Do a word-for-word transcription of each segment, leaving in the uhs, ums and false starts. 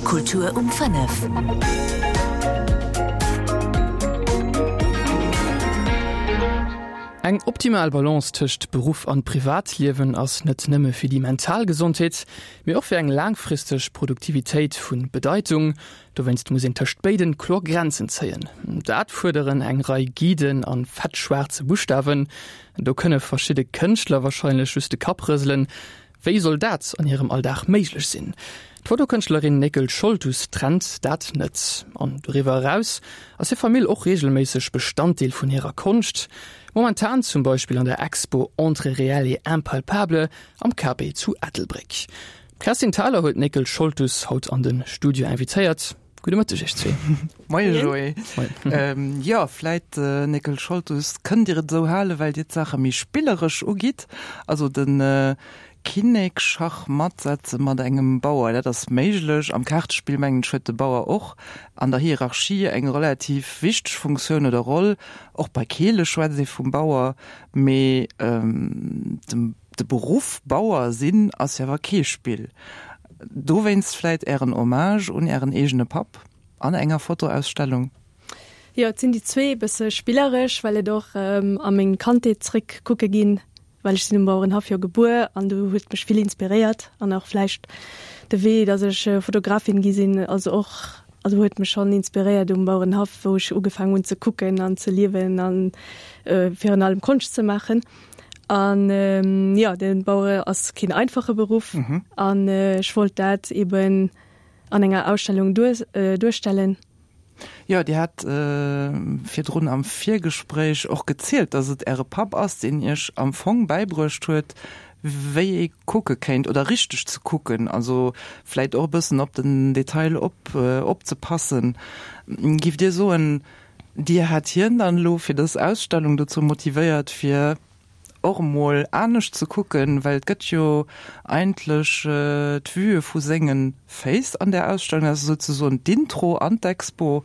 Kultur um fënnef. Eng optimal Balance tëscht Beruff an Privatliewen ass net nëmme fir déi mental Gesondheet, mee och fir eng laangfristeg Produktivitéit vu Bedeitung. Dowéinst muss een tëscht béiden kloer Grenzen zéien. Dat fuerderen eng Rei Guiden an fettschwaarze Buschtawen. Do kënne verschidde Kënschtler warscheinlech just de Kapp rëselen. Wéi soll dat an hirem Alldag méiglech sinn? D'Fotokënschtlerin Néckel Scholtus trennt dat net. An doriwwer eraus ass hir Famill och reegelméisseg Bestanddeel vun hirer Konscht. Momentan zum Beispill an der Expo Entre réel et impalpable am K B zu Ettelbréck. D'Kerstin Thalau huet d'Néckel Scholtus haut an de Studio invitéiert. Gudde Mëtteg iech zwee. Moie Joé. Moien. Jo, vläit, Néckel Scholtus, kënnt Dir et esou halen, well Dir d'Saache méi spilleresch ugitt. Also de Kinnek Schach matt setze mat engem Bauer, dat ass méiglech. Am Kaartespill, mengen ech, huet de Bauer och an der Hierarchie eng relativ wichteg Funktioun oder Roll. Och bei Keele schwätzt ee vum Bauer. Mee dem de Beruff Bauer sinn ass jo awer kee Spill. Dowéinst vläit Ären Hommage un Ären eegene Papp an enger Fotoausstellung? Jo, et sinn déi zwee, e bësse spilleresch, well et och a meng Kandheet zréck kucke ginn, well ech sinn um Bauerenhaff jo gebuer an do huet mech vill inspiréiert an och vläicht de Wee, datt ech Fotografin gi sinn, also och, also huet mech schonn inspiréiert um Bauerenhaff, wou ech ugefaangen hunn ze kucken an ze liewen an virun allem Konscht ze maachen. An jo, de Bauere ass keen einfache Beruff an ech wollt dat eben an enger Ausstellung duerstellen. Jo, Dir hat virdrun am Virgespréich och gezielt, dass et Äre Papp ass, deen Iech am Fong bäibruecht huet, wéi ee kucke kéint oder richteg ze kucken, also vläit och e bëssen op den Detail op opzepassen. Giff Dir soen, Dir hätt hien dann elo fir dës Ausstellung dozou motivéiert, fir och emol anescht ze kucken, well et gëtt jo eigentlech d'Vue vu senge Féiss an där Ausstellung, dat ass souzesoen d'Intro an d'Expo,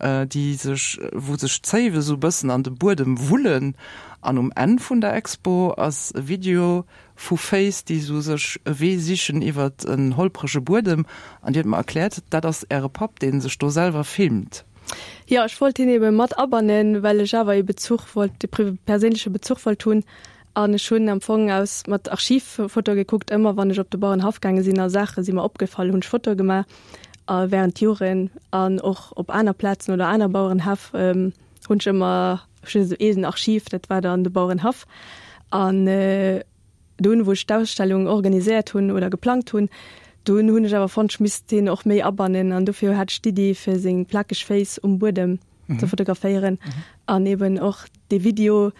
déi sech, wou sech d'Zéiwe sou e bëssen an de Buedem wullen. An um Enn vun der Expo ass e Video vu Féiss, déi sou sech e Wee sichen iwwert en holprege Buedem. An Dir hutt mer erkläert, dat ass Äre Papp, dee sech do selwer filmt. Jo, ech wollt hien ebe mat abannen, well ech awer ee Bezuch wollt, e perséinleche Bezuch wollt hunn. An ech hunn am Fong aus mat Archivfotoe gekuckt. Ëmmer wann ech op de Bauerenhaff gaange sinn a Saache si mer opgefall, hunn ech Fotoe gemaach a während Joren. An och op aner Plazen oder aner Bauerenhäff hunn ech ëmmer, ech hunn esou een Archiv, dat war dann de Bauerenhaff. An dunn, wou ech d'Ausstellung organiséiert hunn oder geplangt hunn, dunn hunn ech awer fonnt, ech misst hien och méi abannen an dofir hat ech d'Iddi, fir seng plakeg Féiss um Buedem ze fotograféieren an eben och dee Video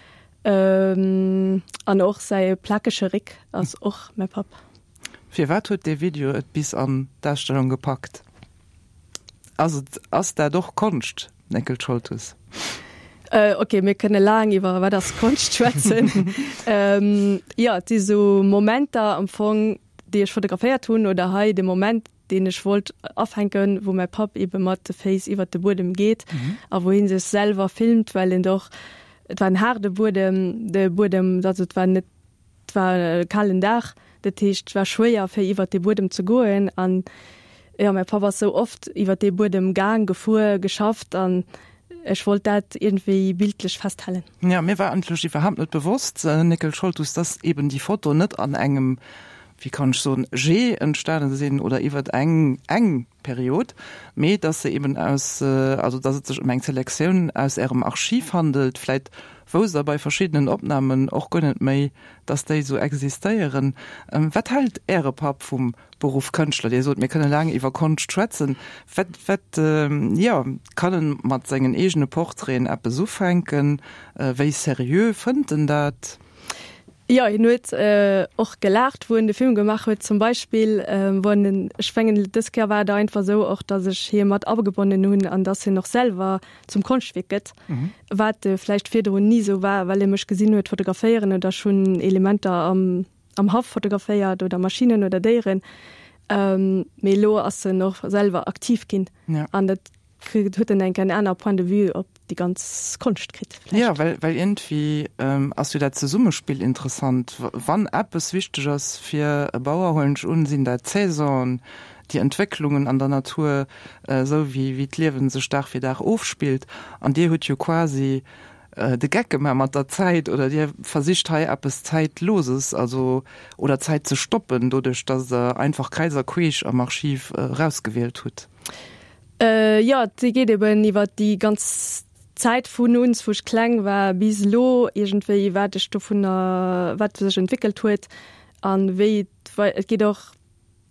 an och säi plakege Réck ass och mäi Papp. Firwat huet dee Video et bis an d'Ausstellung gepackt? Ass et, ass dat och Konscht, Néckel Scholtus? Ok, mir kënne laang iwwer wat ass Konscht schwätzen. Jo, et si sou Momenter am Fong, déi ech fotograféiert hunn oder hei de Moment, deen ech wollt afänken, wou mäi Papp ebe mat de Féiss iwwert de Buedem geet a wou hie sech selwer filmt, well en och, et war en haarde Buedem, de Buedem, also et war net, et war e kalen Dag, dat heescht et war schwéier fir iwwert dee Buedem ze goen an jo, mäi Papp ass sou oft iwwert dee Buedem gaang, gefuer, geschafft an ech wollt dat iergendwéi bildlech festhalen. Jo, mir war eigentlech iwwerhaapt net bewosst, Néckel Scholtus, dass eben déi Foto net an engem, wéi kann ech soen, Jet entstane sinn oder iwwert eng eng Period, mee dass se eben aus, also dass et sech ëm eng Selektioun aus Ärem Archiv handelt. Vläit wousst Der bei verschiddenen Opnamen och guer net méi, dass déi esou existéieren. Wat hält Äre Papp vum Beruff Kënschtler? Dir sot, mir kënne laang iwwer Konscht schwätzen. Wat, wat, jo, kann en mat sengen eegene Portraiten eppes ufänken? Wéi seriö fënnt en dat? Jo, hien huet och gelaacht, wou en de Film gemaach huet zum Beispill, wou en den, ech mengen dës Kéier war et einfach esou och, datt ech hie mat agebonnen hunn an datt hien och selwer zum Konschtwierk gëtt, wat vläicht virdrun ni esou war, well e mech gesinn huet fotograféieren oder ech hunn Elementer am am Haff fotograféiert oder Maschinnen oder Déieren. Mee elo ass en och selwer aktiv ginn an dat kritt, huet en eng en aner Point de vue op déi ganz Konscht kritt vläicht. Jo, well, well iergendwéi ass jo dat Zesummespill interessant. Wann eppes wichteg ass fir e Bauer, huelen ech un, sinn dat d'Saisonen, déi Entwécklungen an der Natur, esou wéi wéi d'Liewen sech Dag fir Dag ofspillt. An Dir hutt jo quasi de Geck gemaach mat der Zäit oder Dir versicht hei eppes Zäitloses, also oder Zäit ze stoppen, doduerch datt Der einfach kräiz a queesch am Archiv erausgewielt hutt. Jo, et geet eben iwwer déi ganz Zäit vun uns, wou ech kleng war, bis elo iergendwéi, wat ech dovunner, wat sech entwéckelt huet an wéi et geet och,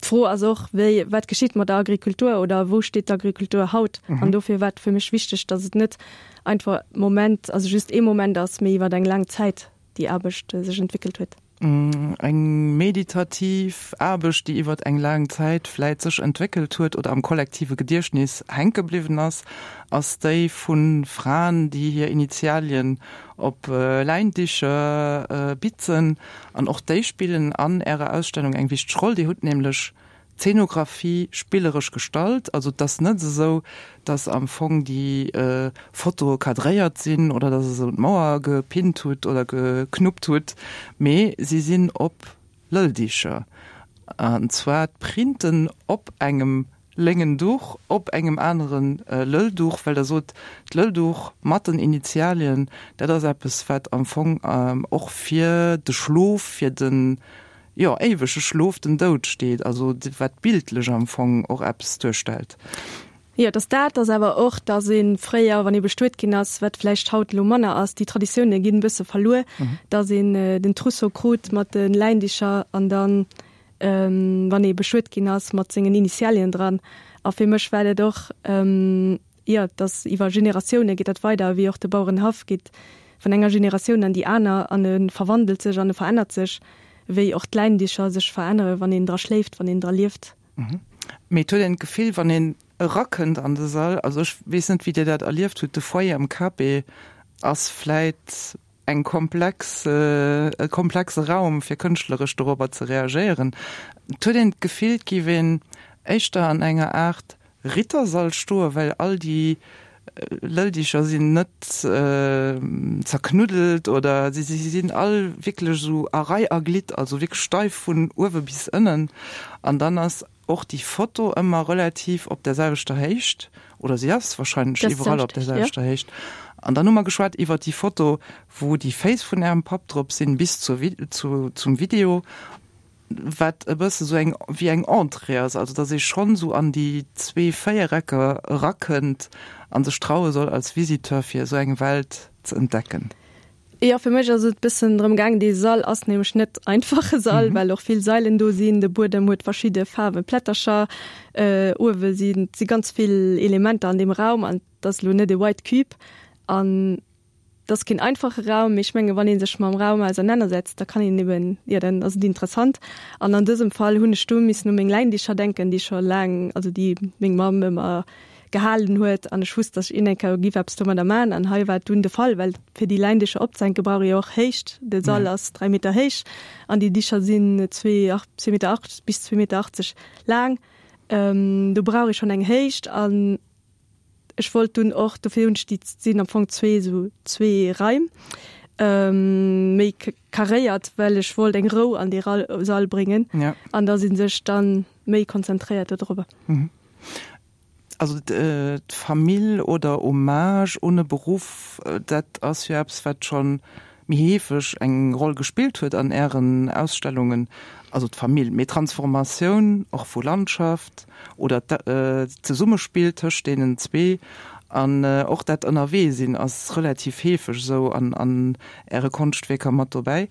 d'Fro ass och, wéi, wat geschitt mat der Agrikultur oder wou steet d'Agrikultur haut? An dofir war et fir mech wichteg, datt et net einfach Moment, also just ee Moment ass, mee iwwer eng laang Zäit déi Aarbecht sech entwéckelt huet. Eng meditativ Aarbecht, déi iwwer eng laang Zäit vläit sech entwéckelt huet oder am kollektive Gediechtnis hänke bliwwen ass, ass déi vu Fraen, déi hir Initialien op Läindicher bitzen. An och déi spillen an Ärer Ausstellung eng wichteg Roll. Dir hutt nämlech d'Zeenografie spilleresch gestalt. Also et ass net esou, datt am Fong déi Fotoe cadréiert sinn oder datt Der se un d'Mauer gepinnt hutt oder geknuppt hutt, mee si sinn op Lëlldicher. An zwar d'Printen op engem léngen Duch op engem anere Lëllduch, well Der sot, d'Lëllduch mat den Initialien, dat ass eppes, wat am Fong och fir de Schlof, fir den, jo, éiwege Schlof, den Doud steet, also wat bildlech am Fong och eppes duerstellt. Jo, et ass dat, ass awer och, datt ee fréier, wann ee bestuet ginn ass, wat vläicht haut elo manner ass, déi Traditioune ginn e bësse verluer, datt een den Trousseau krut mat de Läindicher an dann, wann ee bestuet ginn ass, mat sengen Initialien dran. A fir mech war dat och, jo, datt iwwer Generatioune geet dat weider, wéi och de Bauerenhaff geet vun enger Generatioun an déi aner an e verwandelt sech an e verännert sech, wéi och d'Läindicher sech verännere wann een dra schléift, wann een dra lieft. Mee et huet een d'Gefill, wann een erakënnt an de Sall, also ech weess net, wéi Dir dat erlieft hutt, de Foyer am Cape ass vläit eng komplex, e komplexe Raum, fir kënschtleresch dorobber ze reagéieren. Et huet een d'Gefill, et géif een éischter an enger Aart Rittersall stoen, well all déi Lëlldicher sinn net zerknuddelt oder si sinn all wierklech esou a Rei a Glidd, also wierklech steif vun uewe bis ënnen. An dann ass och déi Foto ëmmer relativ op der selwechter Héicht, oder si ass wahrscheinlech iwwerall op der selwechter Héicht. An dann hu mer geschwat iwwer déi Foto, wou déi Féiss vun Ärem Papp drop sinn, bis zur zum Video. Wat e bësse sou eng wéi eng Entrée ass, also datt ee schonn sou an déi zwee Véierecker erakënnt a sech traue soll als Visiteur fir esou eng Welt ze entdecken. Jo, fir mech ass et bëssen drëm gaangen, dee Sall ass nämlech net einfach e Sall, well och vill Sailen do sinn, de Buedem huet verschidde Faarwe Plättercher, uewe sinn si ganz vill Elementer an deem Raum an et ass elo net e White Cube an Et ass keen einfache Raum, mee ech menge wann ee sech mam Raum ausernanersetzt, da kann een eben, jo, dann ass et interessant. An an dësem Fall hunn ech du missen u meng Läindicher denken, déi scho laang, also déi meng Mamm ëmmer gehalen huet. An ech wusst, datt ech iergendeng Kéier giff eppes domadder maachen. An hei war et dunn de Fall, well fir déi Läindicher opzehänke brauch ee jo och Héicht. De Sall ass dräi Meter héich an déi Dicher sinn zwee, zwee Meter acht bis zwee Meter achtzeg laang. Do brauch ee schonn eng Héicht. An Ech wollt dunn och, dofir hunn ech déi, sinn am Fong zwee esou zwee Raim, méi karéiert, well ech wollt eng Rou an dee Sall bréngen an dass ee sech dann méi konzentréiert dodrobber. Also d'Famill oder Hommage un e Beruff, dat ass jo eppes, wat scho méi heefeg eng Roll gespillt huet an Ären Ausstellungen, also d'Famill, mee d'Transformatioun och vu Landschaft oder d'Zesummespill tëscht deenen zwee an och dat Ënnerwee-sinn ass relativ heefeg esou an Äre Konschtwierker mat dobäi.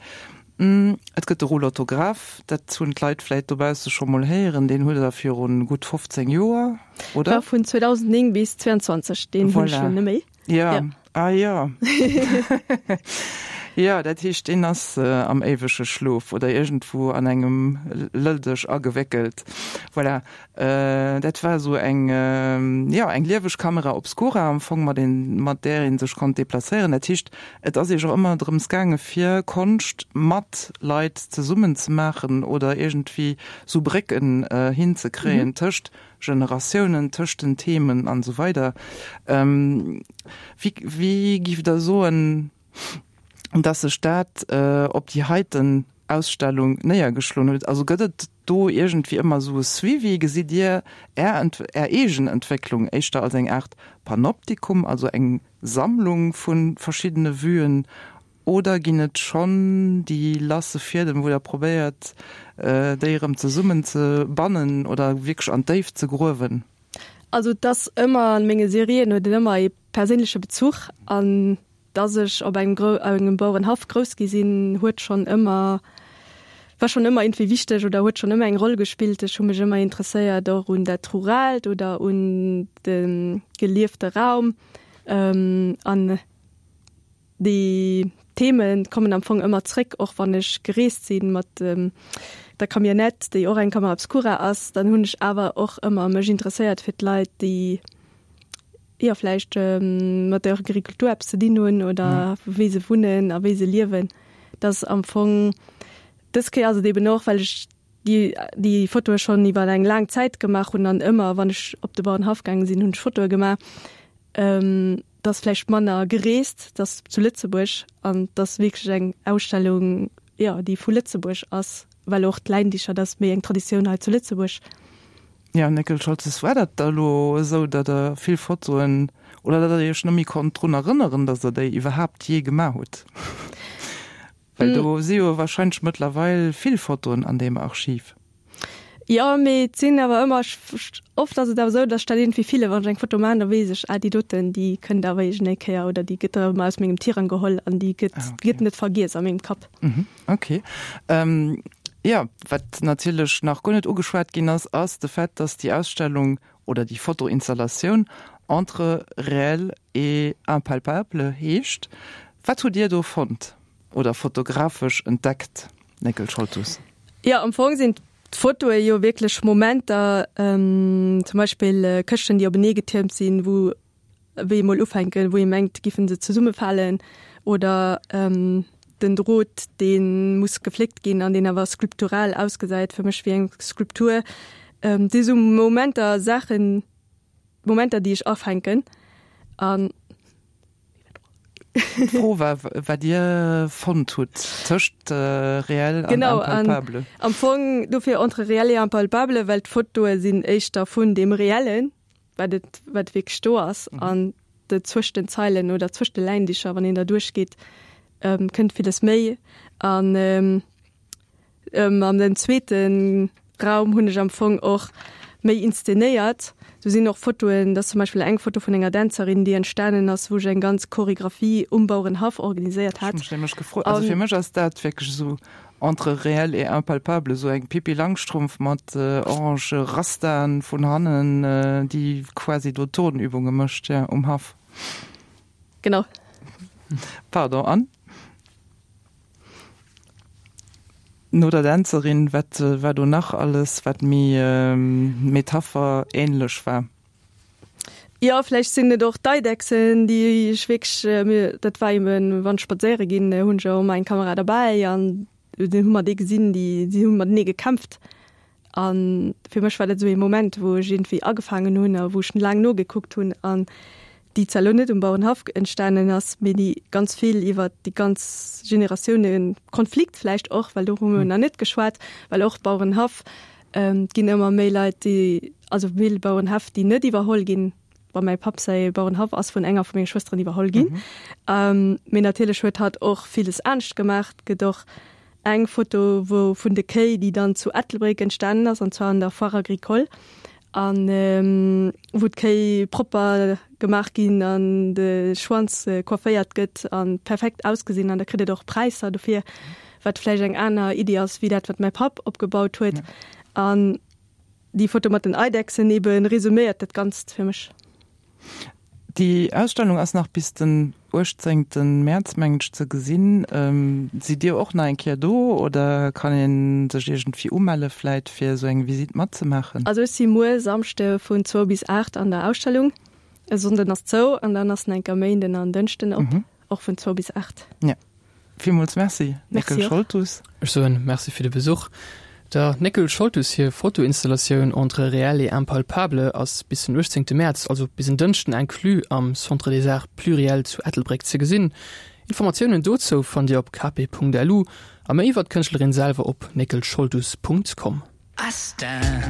Et gëtt de Roulottograph, dat hunn d'Leit vläit dobausse scho mol héieren, deen hutt Der viru gutt fofzéng Joer, oder? War vun zweedausendnéng bis zweianzwanzeg, deen hunn ech schonn net méi. Ja, ah jo. Jo, dat heescht, deen ass am éiwege Schlof oder iergendwou an engem Lëlldësch agewéckelt. Voilà, dat war esou eng, jo, eng lieweg Camera obscura am Fong, mat een, mat där ee sech konnt deplacéieren. Dat heescht, et ass Iech och ëmmer drëms gaange fir Konscht mat Leit zesummen ze maachen oder iergendwéi sou Brécken hinzekréien tëscht Generatiounen, tëscht den Themen an esou weider. Wéi, wéi giff Der soen, dass sech dat op déi heiten Ausstellung néiergeschloen huet? Also gëtt et do iergendwéi ëmmer esou e Suivi? Gesitt Dir Är Är eegen Entwécklung éischter als eng Aart Panoptikum, also eng Sammlung vu verschiddene Vuen, oder ginn et schonn déi lasse Fiedem, wou Der probéiert, déi erëm zesummen ze bannen oder wierklech an d'Déift ze gruewen? Also et ass ëmmer, an menge Serien huet et ëmmer ee perséinleche Bezuch an dass ech op engem grou engem Bauerenhaff grouss gi sinn, huet schonn ëmmer, war schonn ëmmer iergendwéi wichteg oder huet schonn ëmmer eng Roll gespillt. Ech hu mech ëmmer interesséiert och un dat Ruraalt oder un de geliefte Raum an déi Themen kommen am Fong ëmmer zréck, och wann ech gereest si mat der Camionnette, déi och eng Camera obscura ass, dann hunn ech awer och ëmmer mech interesséiert fir d'Leit, déi jo vläicht mat der Agrikultur eppes ze dinn hunn oder wéi se wunnen a wéi se liewen. Dass am Fong dës Kéier ass et eben och, well ech déi déi Fotoe schonn iwwer eng laang Zäit gemaach hunn an ëmmer wann ech op de Bauerenhaff gaange sinn, hunn ech Fotoe gemaach. Dass vläicht manner gereest, dass zu Lëtzebuerg an dass wierklech eng Ausstellung, jo, déi vu Lëtzebuerg ass, well och d'Läindicher, dat ass méi eng Traditioun hei zu Lëtzebuerg. Jo, Néckel Scholtes, war dat da elo esou, datt Der vill Fotoen oder datt Der Iech net méi konnt drun erënneren, datt Der déi iwwerhaapt jee gemaach hutt? Well do si jo wahrscheinlech mëttlerweil vill Fotoen an deem Archiv. Jo, mee et sinn awer ëmmer, oft ass et awer esou, datt ech dat iergendwéi fillen, wann ech eng Foto maachen, da weess ech, ah déi doten, déi kënnt awer iergendeng Kéier oder déi gëtt erëm aus mengem Tirang geholl an déi gëtt, gëtt net vergiess a mengem Kapp. Ok. Jo, wat natierlech nach guer net ugeschwat ginn ass, ass de Fait, datt déi Ausstellung oder déi Fotoinstallatioun Entre réel et impalpable heescht. Wat hutt Dir do fonnt oder fotografesch entdeckt, Néckel Scholtus? Jo, am Fong sinn d'Fotoe jo wierklech Momenter, zum Beispill Këschten, déi openee getiermt sinn, wou wéi emol ufänken, wou ee mengt, giffen se zesummefalen, oder den Drot, dee muss gefléckt ginn an deen awer skulptural ausgesäit, fir mech wéi eng Skulptur. Et si sou Momenter, Saachen, Momenter, déi ech afänken an. D'Fro war, wat Dir fonnt hutt tëscht réel an impalpable. Genau, an am Fong dofir entre réel et impalpable, well d'Fotoe sinn éischter vun deem Reellen, wat et, wat wierklech do ass, an de zwëscht den Zeilen oder zwëscht de Läindicher, wann een da duerchgeet, kënnt villes méi. An An den zweete Raum hunn ech am Fong och méi inszenéiert. Do sinn och Fotoen, dat ass zum Beispill eng Foto vun enger Dänzerin, déi entstanen ass, wou ech eng ganz Choregraphie um Bauerenhaff organiséiert hat. Ech hu mech nämlech gefrot, also fir mech ass dat wierklech esou entre réel et impalpable, esou eng Pippi Langstrumpf mat orange Rastaen vun hannen, déi quasi do Turnübunge mécht, jo, um Haff. Genau. Pardon, an? No der Dänzerin, wat war do nach alles, wat méi Metapher-ähnlech war? Jo, vläicht sinn et och d'Eidechsen, déi ech wierklech, mir, dat war eben, wann ech spadséiere ginn, hunn ech och ëmmer eng Kamera derbäi an dunn hu mer déi gesinn, déi, déi hu matenee gekämpft. A fir mech war dat esou ee Moment, wou ech iergendwéi agefaangen hunn a wou ech laang nogekuckt hunn an déi zwar elo net um Bauerenhaff entstanen ass, mee déi ganz vill iwwer déi ganz Generatioune Konflikt vläicht och, well do hu mer nach net geschwat, well och Bauerenhaff, et ginn ëmmer méi Leit, déi, also vill Bauerenhäff, déi net iwwerholl ginn. Bon, mäi Papp säi Bauerenhaff ass vun enger vu menge Schwësteren iwwerholl ginn, mee natierlech huet hatt och villes anescht gemaach. Et gëtt och eng Foto wou vun de Kéi, déi dann zu Ettelbréck entstanen ass, an zwar an der Foire agricole, an wou d'Kéi propper gemaach ginn an de Schwanz coifféiert gëtt a perfekt ausgesinn an da kritt et och Präisser dofir, wat vläicht eng aner Iddi ass wéi dat wat mäi Papp opgebaut huet. An déi Foto mat den Eidechsen ebe resuméiert dat Ganzt fir mech. Déi Ausstellung ass nach bis den uechtzéngten Mäerz, mengen ech, ze gesinn. Sidd Dir och nach eng Kéier do oder kann ee sech iergendwéi umelle vläit fir esou eng Visitt matzemaachen? Also ech si muer Samschde vun zwou bis aacht an der Ausstellung. E Sonnden ass zou an dann ass en enker Méinden an Dënschden op, och vun zwou bis aacht. Jo. Villmools Merci, Néckel Scholtus. Ech soen Merci fir de Besuch. Der Néckel Scholtus hir Fotoinstallatioun Entre réel et impalpable ass bis den uechtzéngte Mäerz, also bis en Dënschden inclus, am Centre des Arts Pluriels zu Ettelbréck ze gesinn. Informatiounen dozou fannt Dir op kp.lu a méi iwwer d'Kënschtlerin selwer op néckelscholtus Punkt com. I stand.